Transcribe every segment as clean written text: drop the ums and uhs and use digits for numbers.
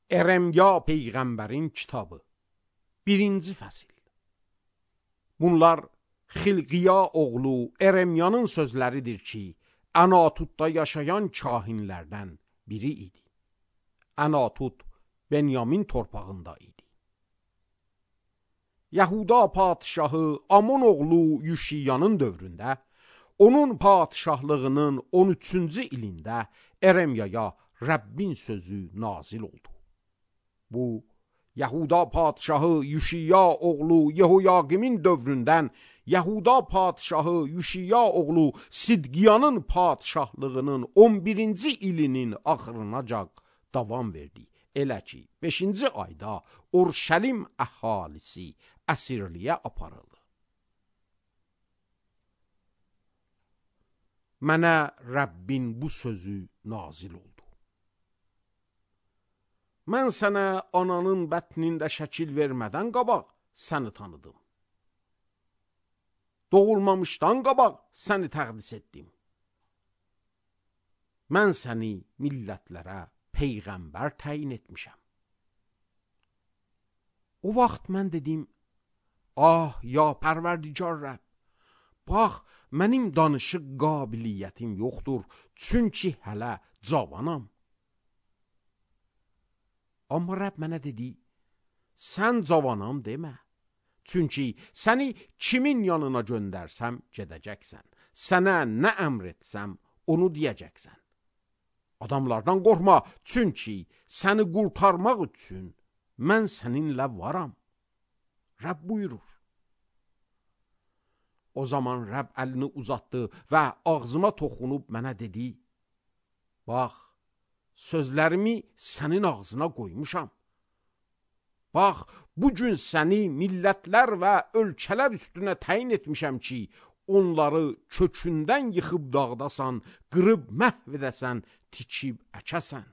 Eremya Peyğəmbərin kitabı 1-ci fəsil. Bunlar Xilqiya oğlu Eremyanın sözləridir ki, Anatutda yaşayan kahinlərdən biri idi. Anatut Benyamin torpağında idi. Yahuda padişahı Amon oğlu Yuşiyanın dövründə, onun padişahlığının 13-cü ilində Eremyaya Rəbbin sözü nazil oldu. Bu, Yahuda padişahı Yuşiya oğlu Yehoyaqimin dövründən Yahuda padişahı Yuşiya oğlu Sidqiyanın padişahlığının 11-ci ilinin axırınacan davam verdi. Elə ki, 5-ci ayda Urşəlim əhalisi əsirliyə aparıldı. Mənə Rəbbin bu sözü nazil oldu. Mən sənə ananın bətnində şəkil vermədən qabaq səni tanıdım. Doğulmamışdan qabaq səni təqdis etdim. Mən səni millətlərə peyğəmbər təyin etmişəm. O vaxt mən dedim, ah ya pərverdigar Rəbb, bax mənim danışıq qabiliyyətim yoxdur, çünki hələ cavanam. Amma Rəbb mənə dedi, sən cavanam demə, çünki səni kimin yanına göndərsəm gedəcəksən, sənə nə əmr etsəm onu deyəcəksən. Adamlardan qorxma, çünki səni qurtarmaq üçün mən səninlə varam. Rəbb buyurur. O zaman Rəbb əlini uzatdı və ağzıma toxunub mənə dedi, bax, sözlərimi sənin ağzına qoymuşam. Bax, bugün səni millətlər və ölkələr üstünə təyin etmişəm ki, onları kökündən yıxıb dağdasan, qırıb məhv edəsən, tikib əkəsən.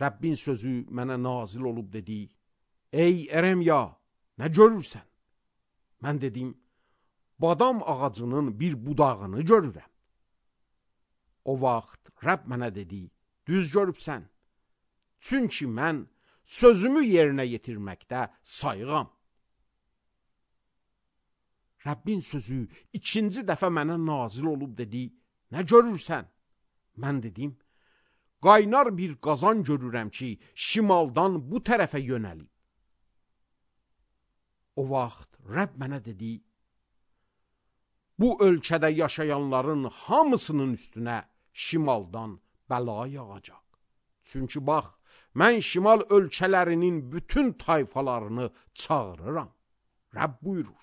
Rəbbin sözü mənə nazil olub dedi, ey Eremya, nə görürsən? Mən dedim, badam ağacının bir budağını görürəm. O vaxt Rəbb mənə dedi, düz görübsən, çünki mən sözümü yerinə yetirməkdə sayığam. Rəbbin sözü ikinci dəfə mənə nazil olub dedi, nə görürsən? Mən dedim, qaynar bir qazan görürəm ki, şimaldan bu tərəfə yönəlib. O vaxt Rəbb mənə dedi, bu ölkədə yaşayanların hamısının üstünə şimaldan bəla yağacaq. Çünki bax, mən şimal ölkələrinin bütün tayfalarını çağırıram. Rəbb buyurur.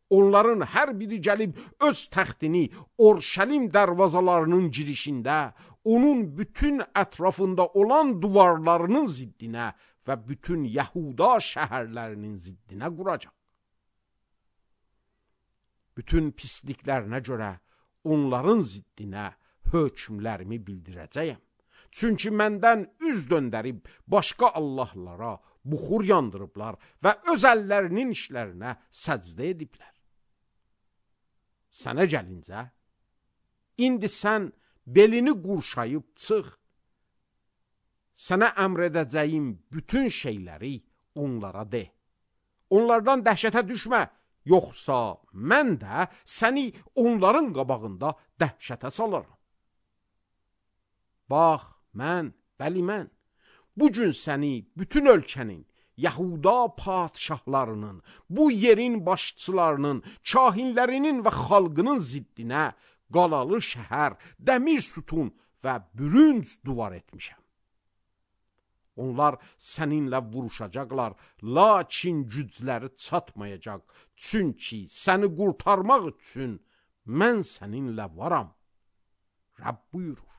Onların hər biri gəlib öz təxtini Urşəlim dərvazalarının girişində, onun bütün ətrafında olan duvarlarının ziddinə və bütün Yahuda şəhərlərinin ziddinə quracaq. Bütün pisliklərinə görə onların ziddinə hökmlərimi bildirəcəyəm. Çünki məndən üz döndərib başqa Allahlara buxur yandırıblar və öz əllərinin işlərinə səcdə ediblər. Sənə gəlincə, indi sən belini qurşayıb çıx. Sənə əmr edəcəyim bütün şeyləri onlara de. Onlardan dəhşətə düşmə, yoxsa mən də səni onların qabağında dəhşətə salaram. Bax, bəli mən, bugün səni bütün ölkənin, Yahuda padişahlarının, bu yerin başçılarının, kahinlərinin və xalqının ziddinə qalalı şəhər, dəmir sütun və bürünc duvar etmişəm. Onlar səninlə vuruşacaqlar, lakin gücləri çatmayacaq, çünki səni qurtarmaq üçün mən səninlə varam. Rəbb buyurur.